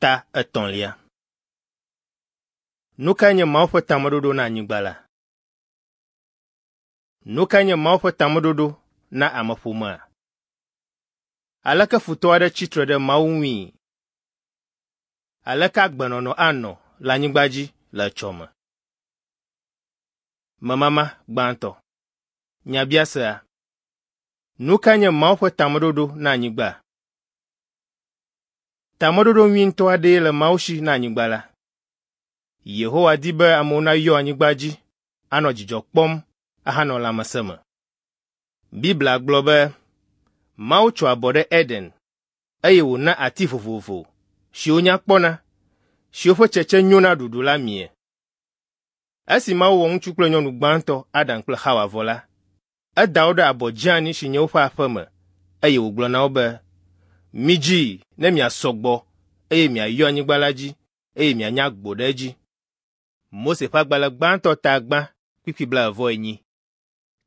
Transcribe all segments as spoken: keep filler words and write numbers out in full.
Ta etɔ̃lia. Nu kae nye Mawu ƒe tameɖoɖo na anyigba la? Nu kae nye Mawu ƒe tameɖoɖo na ameƒomea? Aleke futɔ aɖe tsi tre ɖe Mawu ŋui? Aleke agbenɔnɔ anɔ le anyigba dzi le etsɔme? Memama gbãtɔ. Nyabiasea. Nu kae nye Mawu ƒe tameɖoɖo na anyigba? Tameɖoɖo nyui ŋutɔ aɖee le Mawu si na anyigba la. Yehowa di be amewo nayɔ anyigba dzi, anɔ dzidzɔ kpɔm ahanɔ lãmesẽ me. Biblia gblɔ be Mawu tso abɔ ɖe Eden eye wòna ati vovovo siwo nya kpɔna, siwo ƒe tsetse nyo na ɖuɖu la mie. Esi Mawu wɔ ŋutsu kple nyɔnu gbãtɔ Adam kple Xawa vɔ la, eda wo ɖe abɔ dzeani si nye woƒe aƒe me eye wògblɔ na wo be, “Midzi ne miasɔ gbɔ eye miayɔ anyigba la dzi eye mianya agbo ɖe edzi.” Mose ƒe agbalẽ gbãtɔ ta gbã kpukpui blaeve-vɔ-enyi,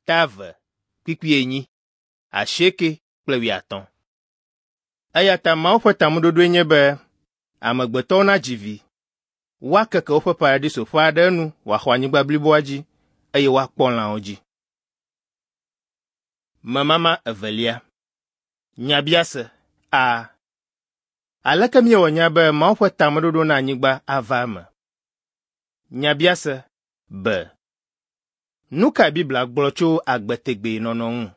ta eve kpukpui enyi, asieke kple wuiatɔ̃. Eya ta Mawu ƒe tameɖoɖoe nye be amegbetɔwo nadzi vi, woakeke woƒe paradisoƒe aɖe enu wòaxɔ anyigba bliboa dzi eye woakpɔ lãwo dzi. Memama evelia. Nyabiase a. Aleke míewɔ nya be Mawu ƒe tameɖoɖo na anyigba ava eme? Nyabiase b. Nu kae Biblia gblɔ tso agbe tegbee nɔnɔ ŋu?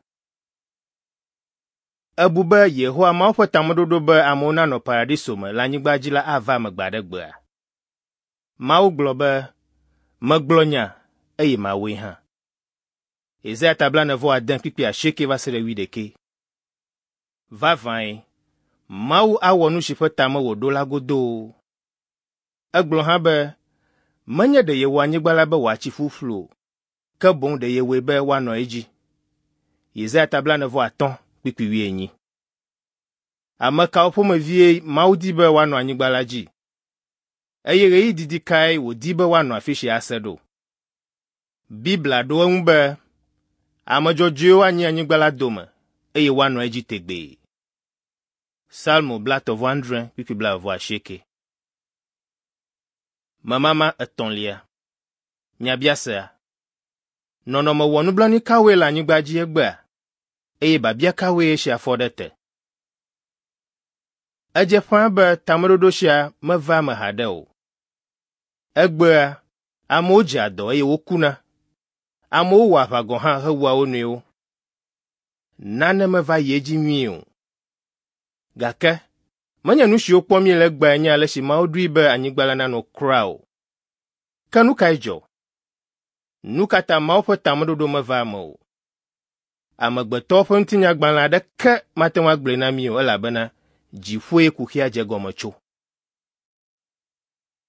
Èbu be Yehowa Mawu ƒe tameɖoɖo be amewo nanɔ paradiso me le anyigba dzi la ava eme gbe aɖe gbea? Mawu gblɔ be, “Megblɔ nya eye mawɔe hã.” Yesaya ta blaene-vɔ-ade kpukpui asieke va se ɖe wuiɖekɛ. Vavãe, Mawu awɔ nu si ƒe tame wòɖo la godoo. Egblɔ hã be menye ɖe yewɔ anyigba la be wòatsi ƒuƒlu o, ke boŋ ɖe yewɔe be woanɔ edzi. Yesaya ta blaene-vɔ-atɔ̃ kpukpui wuienyi. Ame kawo ƒomevie Mawu di be woanɔ anyigba la dzi? Eye ɣeyiɣi didi kae wòdi be woanɔ afi sia ase ɖo? Biblia ɖo eŋu be, ame dzɔdzɔewo anyi anyigba la dome eye woanɔ edzi tegbee. Salmo blaetɔ̃ vɔ adre kpukpui blaeve vɔ asieke. Memama etɔ̃lia. Nyabiasea. Nɔnɔme wɔnublanui kawoe le anyigba dzi egbea eye biabia kawoe esia fɔ ɖe te? Edze ƒãa be tameɖoɖo sia meva eme haɖe o. Egbea, amewo dzea dɔ eye wokuna. Amewo wɔa aʋa gɔ̃ hã hewua wo nɔewo. Nane meva yi edzi nyuie o. Gake menye nu siwo kpɔm míele egbea nye ale si Mawu ɖoe be anyigba la nanɔ kura o. Ke nu kae dzɔ? Nu ka ta Mawu ƒe tameɖoɖo meva eme o? Amegbetɔwo ƒe ŋutinyagbalẽ aɖeke mate ŋu agblɔe na mí o elabena dziƒoe kuxia dze egɔme tso.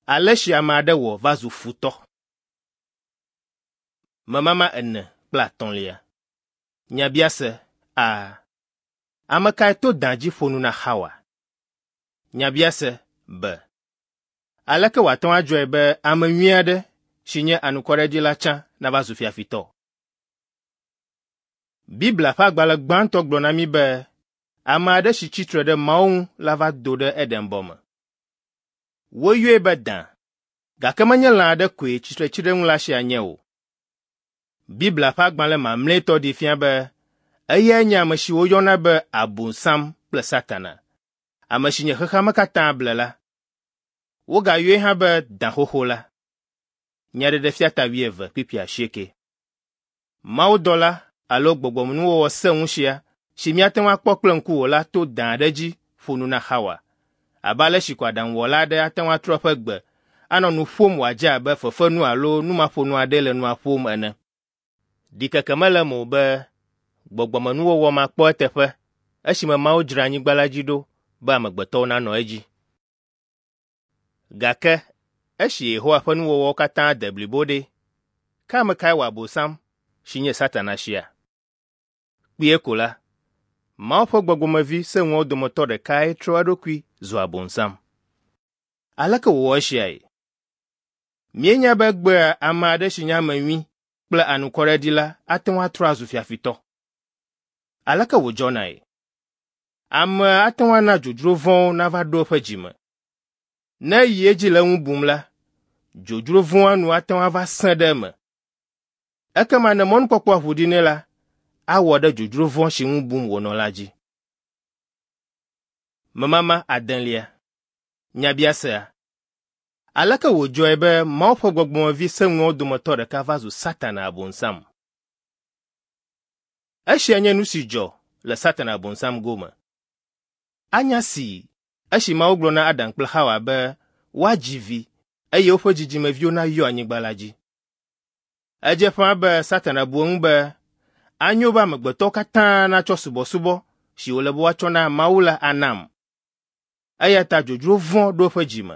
Ale si ame aɖe wɔ va zu futɔ. Memama ene kple atɔ̃lia. Nyabiase a. Ame kae to da dzi ƒo nu na Xawa? Nyabiase b. Aleke wòate ŋu adzɔe be ame nyui aɖe si nye anukwareɖila tsã nava zu fiafitɔ? Biblia ƒe agbalẽ gbãtɔ gblɔ na mí be ame aɖe si tsi tre ɖe Mawu ŋu la va do ɖe Edenbɔ me. Woyɔe be da, gake menye lã aɖe koe tsitretsiɖeŋula sia nye o. Biblia ƒe agbalẽ mamlɛtɔ ɖee fia be eyae nye ame si woyɔna be Abosam kple Satana, ame si nye xexea me katã blela. Wogayɔe hã be da xoxo la. Nyaɖeɖefia ta wuieve kpukpui asieke. Mawudɔla alo gbɔgbɔmenuwɔwɔ sẽŋu sia si míate ŋu akpɔ kple ŋku o la to da aɖe dzi ƒo nu na Xawa. Abe ale si ko aɖaŋuwɔla aɖe ate ŋu atrɔ eƒe gbe anɔ nu ƒom wòadze abe fefenu alo numaƒonu aɖee le nua ƒom ene. Ɖikeke mele eme o be gbɔgbɔmenuwɔwɔ ma kpɔ eteƒe esime Mawu dzra anyigba la dzi ɖo be amegbetɔwo nanɔ edzi. Gake esi Yehowa ƒe nuwɔwɔwo katã de blibo ɖe, ke ame kae wɔ Abosam si nye Satana sia? Kpuie ko la, Mawu ƒe gbɔgbɔmevi sẽŋuawo dometɔ ɖekae trɔ eɖokui zu Abosam. Aleke wòwɔ esiae? Míenya be egbea ame aɖe si nye ame nyui kple anukwareɖila ate ŋu atrɔ azu fiafitɔ. Aleke wòdzɔnae? Ame ate ŋu ana dzodzro vɔ̃wo nava ɖo eƒe dzime. Ne eyi edzi le eŋu bum la, dzodzro vɔ̃a nu ate ŋu ava sẽ ɖe eme. Ekema ne mɔnukpɔkpɔa ʋu ɖi nɛ la, awɔ ɖe dzodzro vɔ̃ si ŋu bum wònɔ la dzi. Memama adelia. Nyabiasea. Aleke wòdzɔe be Mawu ƒe gbɔgbɔmevi sẽŋuawo dometɔ ɖeka va zu Satana Abosam? Esia nye nu si dzɔ le Satana Abosam gome. Anya si esi Mawu gblɔ na Adam kple Xawa be woadzi vi eye woƒe dzidzimeviwo nayɔ anyigba la dzi. Edze ƒãa be Satana bu eŋu be anyo be amegbetɔwo katã natsɔ subɔsubɔ si wòle be woatsɔ na Mawu la anam. Eya ta dzodzro vɔ̃ ɖo eƒe dzi me.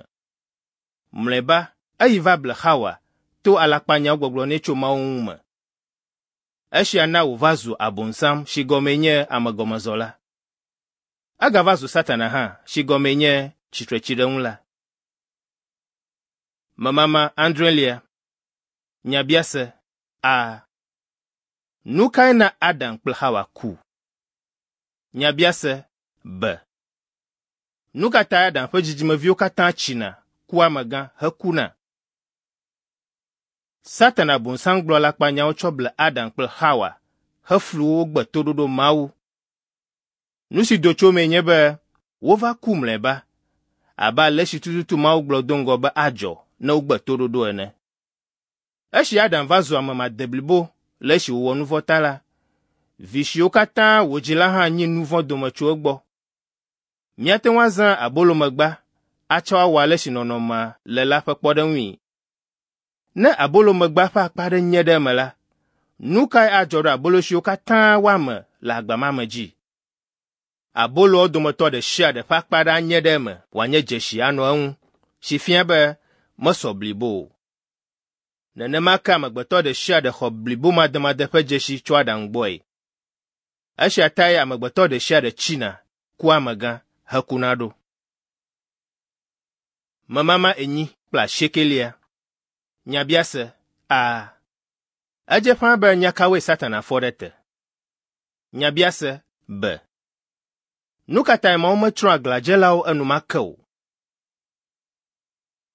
Mlɔeba eyi va ble Xawa to alakpanyawo gbɔgblɔ nɛ tso Mawu ŋu me. Esia na wòva zu Abosam si gɔmee nye amegɔmezɔla. Egava zu Satana hã si gɔmee nye tsitretsiɖeŋula. Memama adrelia. Nyabiase A. Nu kae na Adam kple Xawa ku? Nyabiase B. Nu ka tae Adam ƒe dzidzimeviwo katã tsina, kua amegã hekuna? Satana Abosam gblɔ alakpanyawo tsɔ ble Adam kple Xawa heflu wo wogbe toɖoɖo Mawu. Nu si do tso emee nye be wova ku mlɔeba abe ale si tututu Mawu gblɔ do ŋgɔ be adzɔ ne wogbe toɖoɖo ene. Esi Adam va zu ame madeblibo le esi wòwɔ nu vɔ̃ ta la, vi siwo katã wòdzi la hã nyi nu vɔ̃ dome tso egbɔ. Míate ŋu azã abolomegba atsɔ awɔ ale si nɔnɔmea le la ƒe kpɔɖeŋui. Ne abolomegba ƒe akpa aɖe nye ɖe eme la, nu kae adzɔ ɖe abolo siwo katã woame le agba ma me dzi? Aboloawo dometɔ ɖe sia ɖe ƒe akpa aɖe anye ɖe eme wòanye dzesi anɔ eŋu, si fia be mesɔ blibo o. Nenema ke amegbetɔ ɖe sia ɖe xɔ blibomademade ƒe dzesi tso Adam gbɔe. Esia tae amegbetɔ ɖe sia ɖe tsina, kua amegã hekuna ɖo. Memama enyi kple asiekelia. Nyabiase A. Edze ƒãa be nya kawoe Satana fɔ ɖe te? Nyabiase B. Nu ka tae Mawu metsrɔ̃ aglãdzelawo enumake o?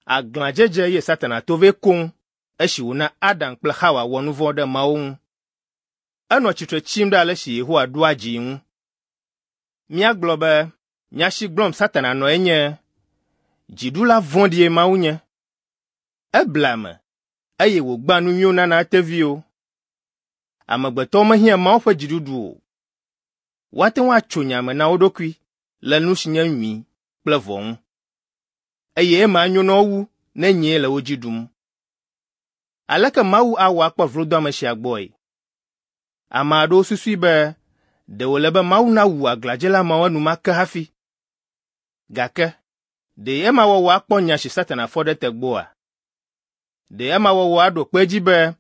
Aglãdzedze ye Satana to vɛ koŋ esi wòna Adam kple Xawa wɔ nu vɔ̃ ɖe Mawu ŋu. Enɔ tsitre tsim ɖe ale si Yehowa ɖoa dzii ŋu. Míagblɔ be nya si gblɔm Satana nɔ enye dziɖula vɔ̃ɖie Mawu nye. Eblea ame eye wògbea nu nyuiwo nana eteviwo. Amegbetɔwo mehiã Mawu ƒe dziɖuɖu o. Woate ŋu atso nya me na wo ɖokui le nu si nye nyui kple vɔ̃ ŋu. Eye ema anyo na wo wu ne nyee le wo dzi ɖum. Aleke Mawu awɔ akpɔ vlodoame sia gbɔe? Ame aɖewo susui be ɖe wòle be Mawu nawu aglãdzela mawo enumake hafi. Gake ɖe ema wɔwɔ akpɔ nya si Satana fɔ ɖe te gbɔa? Ɖe ema wɔwɔ aɖo kpe edzi be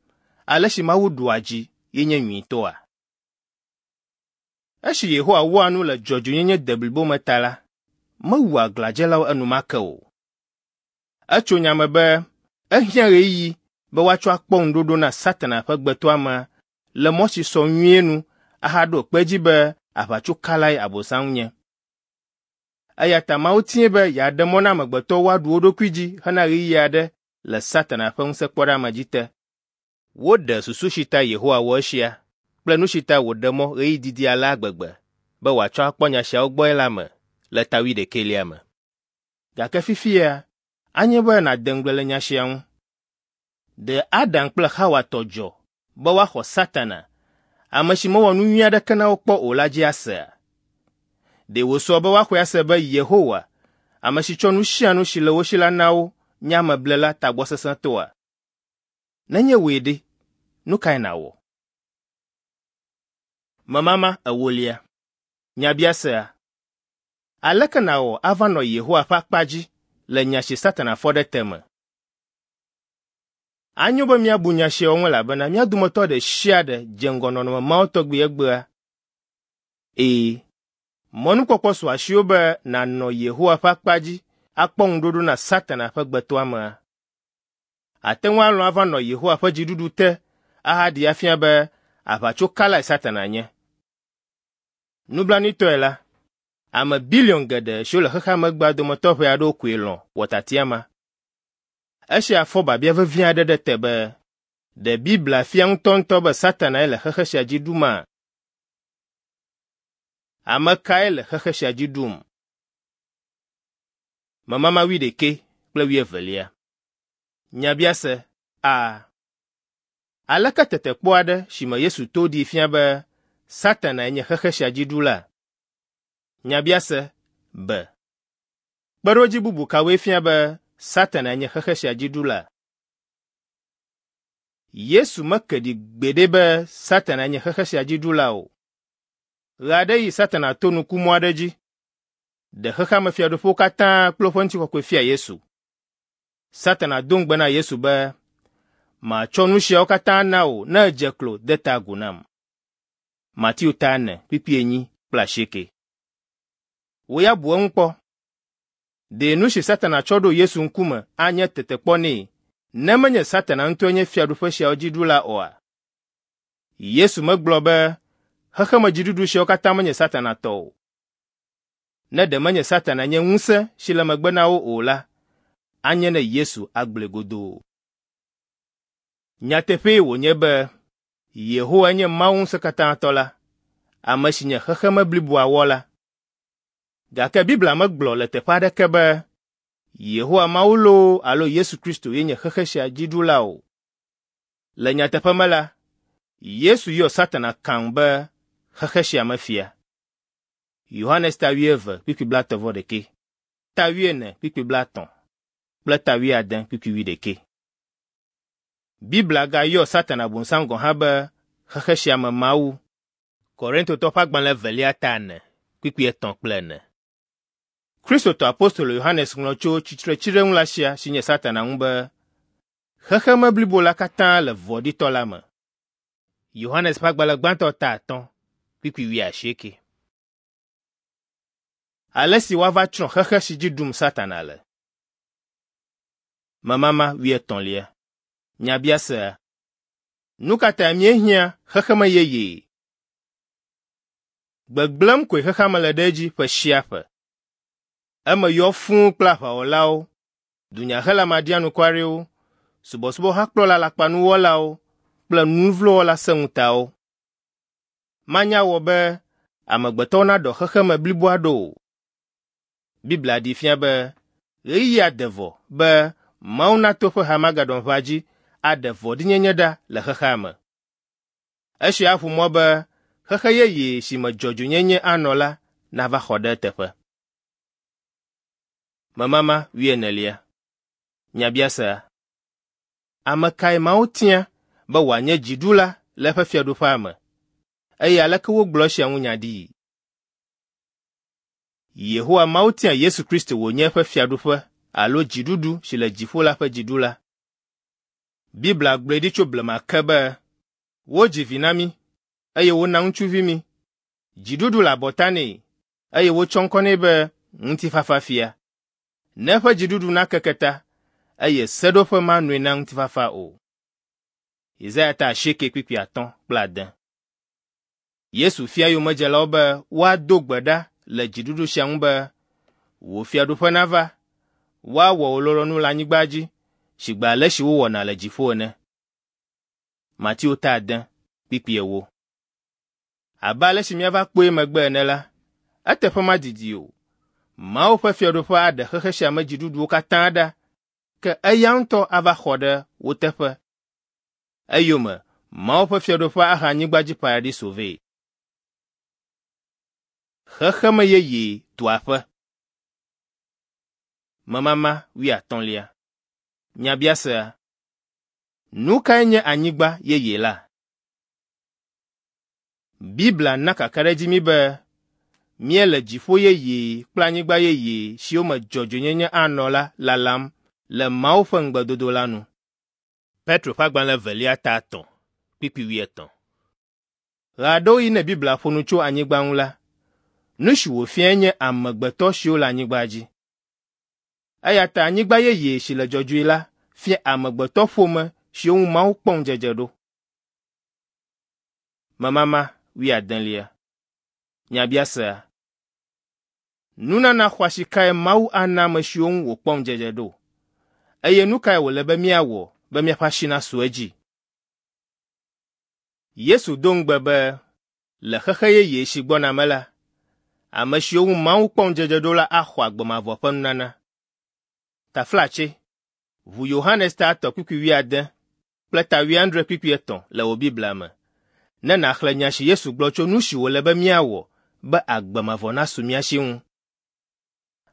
ale si Mawu ɖua dzi ye nye nyuitɔa? Esi Yehowa wɔa nu le dzɔdzɔenyenye deblibo me ta la, mewu aglãdzelawo enumake o. Etso nya me be ehiã ɣeyiɣi be woatsɔ akpɔ ŋuɖoɖo na Satana ƒe gbetɔamea le mɔ si sɔ nyuie nu ahaɖo kpe edzi be aʋatsokalae Abosam nye. Eya ta Mawu tie be yeaɖe mɔ na amegbetɔwo woaɖu wo ɖokui dzi hena ɣeyiɣi aɖe le Satana ƒe ŋusẽkpɔɖeamedzi te. Woɖe susu si ta Yehowa wɔ esia kple nu si ta wòɖe mɔ ɣeyiɣi didi alea gbegbe be wòatsɔ akpɔ nya siawo gbɔe la me le ta wuiɖekɛlia me. Gake fifia, anye be nàde ŋugble le nya sia ŋu. Ɖe Adam kple Xawa tɔ dzɔ be woaxɔ Satana, ame si mewɔ nu nyui aɖeke na wo kpɔ o la dzi asea? Ɖe wòsɔ be woaxɔe ase be Yehowa, ame si tsɔ nu sia nu si le wo si la na wo, nye ameblela tagbɔsesẽtɔa? Nenye wòe ɖe, nu kae nàwɔ? Memama ewolia. Nyabiasea. Aleke nàwɔ ava nɔ Yehowa ƒe akpa dzi le nya si Satana fɔ ɖe te me? Anyo be míabu nya siawo ŋu elabena mía dometɔ ɖe sia ɖe dze ŋgɔ nɔnɔme mawo tɔgbi egbea. Ee, mɔnukpɔkpɔ su asiwò be nànɔ Yehowa ƒe akpa dzi akpɔ ŋuɖoɖo na Satana ƒe gbetɔamea. Àte ŋu alɔ̃ ava nɔ Yehowa ƒe dziɖuɖu te ahaɖee afia be aʋatsokalae Satana nye. Nublanuitɔe la, Ame biliɔn geɖe siwo le xexea me egbea dometɔ ʋɛ aɖewo koe lɔ̃ wɔ tiatia ma. Esia fɔ biabia vevi aɖe ɖe te be, ɖe Biblia fia ŋutɔŋutɔ be Satanae le xexe sia dzi ɖuma? Ame kae le xexe sia dzi ɖum? Memama wuiɖekɛ kple wuievelia. Nyabiase A. Aleke tetekpɔ aɖe si me Yesu to ɖee fia be Satanae nye xexe sia dzi ɖula? Nyabiase B. Kpeɖodzi bubu kawoe fia be Satanae nye xexe sia dzi ɖula? Yesu meke ɖi gbeɖe be Satanae nye xexe sia dzi ɖula o. Ɣeaɖeɣi Satana to nukumɔ aɖe dzi ɖe xexea me fiaɖuƒewo katã kple woƒe ŋutikɔkɔe fia Yesu. Satana do ŋugbe na Yesu be, matsɔ nu siawo katã na wò ne èdze klo de ta agu nam. Mateo ta ene kpukpui enyi kple asieke. Wò ya bu eŋu kpɔ. Ɖe nu si Satana tsɔ ɖo Yesu ŋkume anye tetekpɔ nɛ ne menye Satana ŋutɔe nye fiaɖuƒe siawo dzi ɖula oa? Yesu megblɔ be xexemedziɖuɖu siawo katã menye Satana tɔ o. Ne ɖe menye Satana nye ŋusẽ si le megbe na wo o la, anye ne Yesu agblɔe godoo. Nyateƒee wònye be Yehowa nye Mawu ŋusẽkatãtɔ la, ame si nye xexeme bliboa wɔla. Gake Biblia megblɔ le teƒe aɖeke be Yehowa Mawu loo alo Yesu Kristo ye nye xexe sia dzi ɖula o. Le nyateƒe me la, Yesu yɔ Satana kaŋ be xexe sia me fia. Yohanes ta wuieve kpukpui blaetɔ̃ vɔ ɖekɛ, ta wuiene kpukpui blaetɔ̃ kple ta wuiade kpukpui wuiɖekɛ. Biblia gayɔ Satana Bonsam gɔ̃ hã be xexe sia me mawu. Korintotɔ ƒe agbalẽ evelia ta ene kpukpui etɔ̃ kple ene. Kristotɔ apostolo Yohanes ŋlɔ tso tsitretsiɖeŋula sia si nye Satana ŋu be, xexeme blibo la katã le vɔ̃ɖitɔ la me. Yohanes ƒe agbalẽ gbãtɔ ta atɔ̃ kpukpui wuiasieke. Ale si woava tsrɔ̃ xexe si dzi ɖum Satana le. Memama wuietɔ̃lia. Nyabiasea. Nu ka tae míehiã xexeme yeye? Gbegblẽm koe xexea me le ɖe edzi ƒe sia ƒe. Eme yɔ fũu kple aʋawɔlawo, dunyahela maɖianukwarewo, subɔsubɔhakplɔla alakpanuwɔlawo kple nuvlowɔla sẽŋutawo. Manya wɔ be amegbetɔwo naɖɔ xexeme bliboa ɖo o. Biblia ɖee fia be ɣeyiɣia de vɔ be Mawu nato eƒe Harmagedon-ʋa dzi aɖe vɔ̃ɖinyenye ɖa le xexea me. Esia aʋu mɔ be xexe yeye si me dzɔdzɔenyenye anɔ la nava xɔ ɖe eteƒe. Memama wuienelia. Nyabiasea. Ame kae Mawu tia be wòanye dziɖula le eƒe fiaɖuƒea me? Eye aleke wogblɔ esia ŋu nya ɖii? Yehowa Mawu tia Yesu Kristo wònye eƒe fiaɖuƒe alo dziɖuɖu si le dziƒo la ƒe dziɖula. Biblia gblɔe ɖi tso blema ke be, wodzi vi na mí, eye wona ŋutsuvi mí. Dziɖuɖu le abɔta nɛ, eye wotsɔ ŋkɔ nɛ be Ŋutifafafia. Ne eƒe dziɖuɖu nakeke ta, eye seɖoƒe manɔe na ŋutifafa o. Yesaya ta asieke kpukpui atɔ̃ kple ade. Yesu fia yomedzelawo be woado gbe ɖa le dziɖuɖu sia ŋu be, wò fiaɖuƒe nava, woawɔ wò lɔlɔ̃nu le anyigba dzi sigbe ale si wowɔna le dziƒo ene. Mateo ta ade kpukpui ewo. Abe ale si míava kpɔe megbe ene la, eteƒe madidi o. Mawu ƒe fiaɖuƒe aɖe xexe sia me dziɖuɖuwo katã ɖa, ke eya ŋutɔ ava xɔ ɖe wo teƒe. Eyome Mawu ƒe fiaɖuƒe ahe anyigba dzi paradiso vɛ. Xexeme yeye tu aƒe. Memama wuiatɔ̃lia. Nyabiasea. Nu kae nye anyigba yeye la? Biblia na kakaɖedzi mí be míele dziƒo yeye kple anyigba yeye siwo me dzɔdzɔenyenye anɔ la lalam le Mawu ƒe ŋugbedodo la nu. Petro ƒe agbalẽ evelia ta etɔ̃ kpukpui wuietɔ̃. Ɣeaɖewoɣi ne Biblia ƒo nu tso anyigba ŋu la, nu si wòfiae nye amegbetɔ siwo le anyigba dzi. Eya ta anyigba yeye si le dzɔdzɔe la fia amegbetɔƒome siwo ŋu Mawu kpɔ ŋudzedze ɖo. Memama wuiadelia. Nyabiasea. Nunana xɔasi kae Mawu ana ame siwo ŋu wòkpɔ ŋudzedze ɖo? Eye nu kae wòle be míawɔ be míaƒe asi nasu edzi? Yesu do ŋugbe be le xexe yeye si gbɔna me la, ame siwo ŋu Mawu kpɔ ŋudzedze ɖo la axɔ agbe mavɔ ƒe nunana. Taflatse, ʋu Yohanes ta etɔ̃ kpukpui wuiade kple ta wuiadre kpukpui etɔ̃ le wò Biblia me ne nàxlẽ nya si Yesu gblɔ tso nu si wòle be míawɔ be agbe mavɔ nasu mía si ŋu.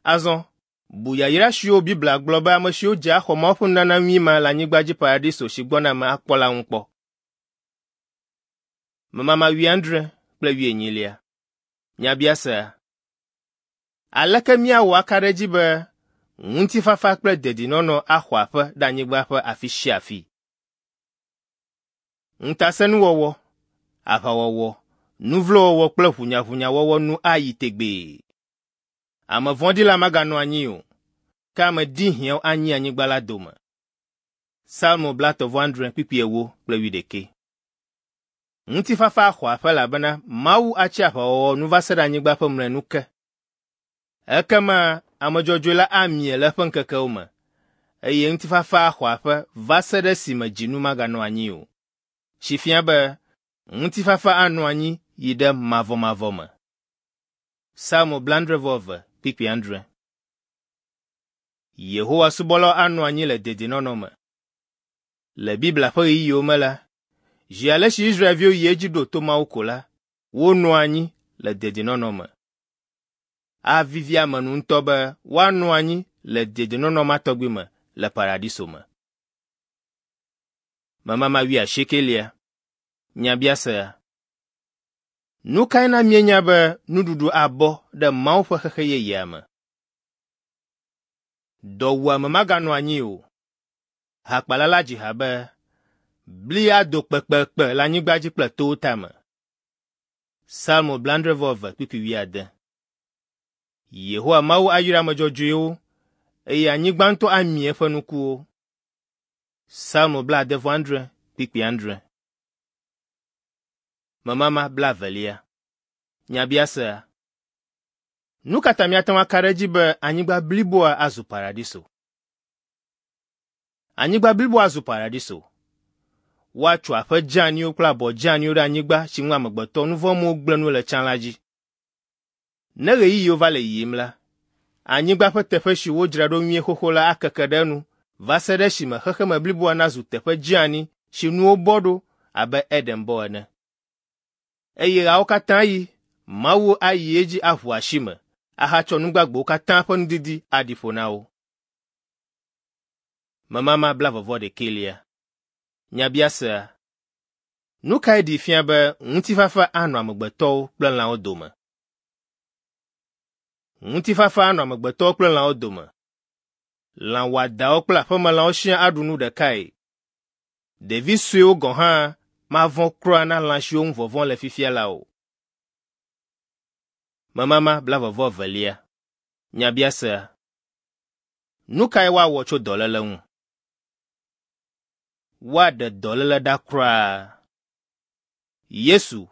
Azɔ, bu yayra siwo Biblia gblɔ be ame siwo dze axɔ Mawu ƒe nunana nyui ma le anyigba dzi paradiso si gbɔna me akpɔ la ŋu kpɔ. Memama wuiadre kple wuienyilia. Nyabiasea. Aleke míawɔ aka ɖe edzi be ŋutifafa kple dedinɔnɔ axɔ aƒe ɖe anyigba ƒe afi sia afi? Ŋutasẽnuwɔwɔ, aʋawɔwɔ, nuvlowɔwɔ kple ʋunyaʋunyawɔwɔ nu ayi tegbee. Ame vɔ̃ɖi la maganɔ anyi o, ke ame ɖihiãwo anyi anyigba la dome. Salmo blaetɔ̃ vɔ adre kpukpui ewo kple wuiɖekɛ. Ŋutifafa axɔ aƒe elabena Mawu atsi aʋawɔwɔ nu va se ɖe anyigba ƒe mlɔenu ke. Ekema ame dzɔdzɔe la amie le eƒe ŋkekewo me, eye ŋutifafa axɔ aƒe va se ɖe esime dzinu maganɔ anyi o. Si fia be ŋutifafa anɔ anyi yi ɖe mavɔmavɔ me. Salmo blaadre vɔ eve kpukpui adre. Yehowa subɔlawo anɔ anyi le dedinɔnɔ me. Le Biblia ƒe ɣeyiɣiwo me la, zi ale si Israelviwo yi edzi ɖo to Mawu ko la, wonɔa anyi le dedinɔnɔ me. Avivi ame nu ŋutɔ be woanɔ anyi le dedinɔnɔ ma tɔgbi me le paradiso me. Memama wuiasiekelia. Nyabiasea. Nu kae na míenya be nuɖuɖu abɔ ɖe Mawu ƒe xexe yeyea me? Dɔwuame maganɔ anyi o. Hakpala la dzi ha be, bli ado kpekpekpe le anyigba dzi kple towo tame. Salmo blaadre vɔ eve kpukpui wuiade. Yehowa Mawu ayra ame dzɔdzɔewo eye anyigba ŋutɔ amie eƒe nukuwo. Salmo blaade vɔ adre kpukpui adre. Memama blaevelia. Nyabiasea. Nu ka ta míate ŋu aka ɖe edzi be anyigba bliboa azu paradiso? Anyigba bliboa azu paradiso. Woatso aƒe dzeaniwo kple abɔ dzeaniwo ɖe anyigba si ŋu amegbetɔ nuvɔ̃mewo gblẽ nu le tsã la dzi. Ne ɣeyiɣiwo va le yiyim la, anyigba ƒe teƒe si wodzra ɖo nyuie xoxo la akeke ɖe enu va se ɖe esime xexeme bliboa nazu teƒe dzeani si nuwo bɔ ɖo abe Edenbɔ ene. Eye ɣeawo katã ɣi, Mawu ayi edzi aʋu asi me ahatsɔ nu gbagbewo katã ƒe nudidi aɖi ƒo na wo. Memama blaeve-vɔ-ɖekɛlia. Nyabiasea. Nu kae ɖee fia be ŋutifafa anɔ amegbetɔwo kple lãwo dome? Ŋutifafa anɔ amegbetɔwo kple lãwo dome. Lã wɔadawo kple aƒemelãwo siaa aɖu nu ɖekae. Ɖevi suewo gɔ̃ hã mavɔ̃ kura na lã siwo ŋu vɔvɔ̃ le fifia la o. Memama blaeve-vɔ-evelia. Nyabiasea. Nu kae woawɔ tso dɔléle ŋu? Woaɖe dɔléle ɖa kura. Yesu,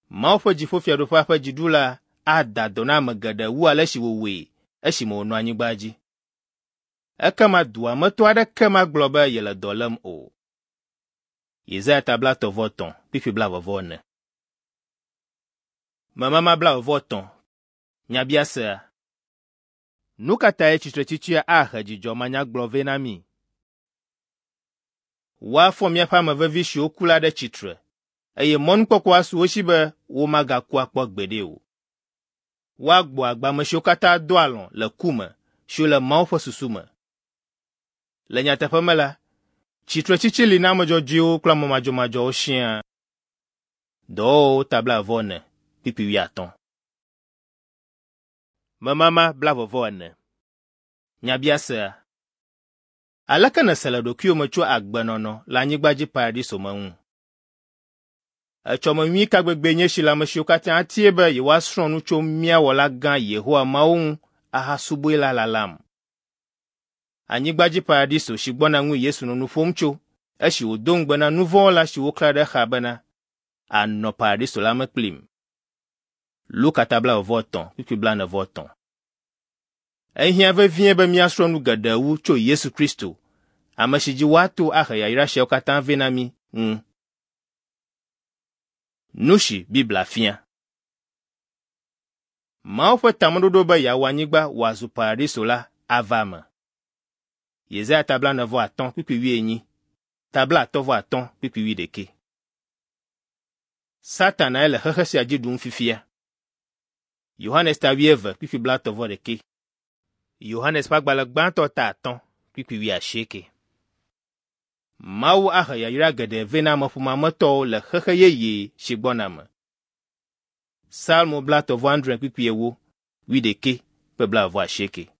Mawu ƒe dziƒofiaɖuƒea ƒe dziɖula ada dɔ na ame geɖe wu ale si wòwɔe esime wònɔ anyigba dzi. Ekema dua me tɔ aɖeke magblɔ be yele dɔ lém o. Yesaya ta blaetɔ̃ vɔ etɔ̃ kpukpui blaeve vɔ ene. Memama blaeve vɔ etɔ̃. Nyabiasea. Nu ka tae tsitretsitsia ahe dzidzɔ manyagblɔ vɛ na mí? Woafɔ míaƒe ame vevi siwo ku la ɖe tsitre eye mɔnukpɔkpɔ asu wo si be womagaku akpɔ gbeɖe o. Woagbɔ agbe ame siwo katã do alɔ̃ le ku me siwo le Mawu ƒe susu me. Le nyateƒe me la, tsitretsitsi li na ame dzɔdzɔewo kple ame madzɔmadzɔwo siaa. Dɔwɔwɔwo ta blaeve vɔ ene kpukpui wuiatɔ̃. Memama blaeve vɔ ene. Nyabiasea. Aleke nèse le ɖokuiwò me tso agbenɔnɔ le anyigba dzi paradiso me ŋu? Etsɔme nyui ka gbegbee nye esi le ame siwo katã atie be yewoasrɔ̃ nu tso mía Wɔla gã Yehowa Mawu ŋu ahasubɔe la lalam. Anyigba dzi paradiso si gbɔna ŋue Yesu nɔ nu ƒom tso esi wòdo ŋugbe na nuvɔ̃wɔla si woklã ɖe exa bena, ànɔ paradiso la me kplim. Luka ta blaeve vɔ etɔ̃ kpukpui blaene vɔ etɔ̃. Ehiã vevie be míasrɔ̃ nu geɖe wu tso Yesu Kristo, ame si dzi woato ahe yayra siawo katã vɛ na mí ŋu. Nu si Biblia fia. Mawu ƒe tameɖoɖo be yeawɔ anyigba wòazu paradiso la ava eme. Yesaya ta blaene vɔ atɔ̃ kpukpui wuienyi, ta blaatɔ̃ vɔ atɔ̃ kpukpui wuiɖekɛ. Satanae le xexe sia dzi ɖum fifia. Yohanes ta wuieve kpukpui blaetɔ̃ vɔ ɖekɛ. Yohanes ƒe agbalẽ gbãtɔ ta atɔ̃ kpukpui wuiasieke. Mawu ahe yayra geɖe vɛ na ameƒomea me tɔwo le xexe yeye si gbɔna me. Salmo blaetɔ̃ vɔ adre kpukpui ewo, wuiɖekɛ kple blaeve vɔ asieke.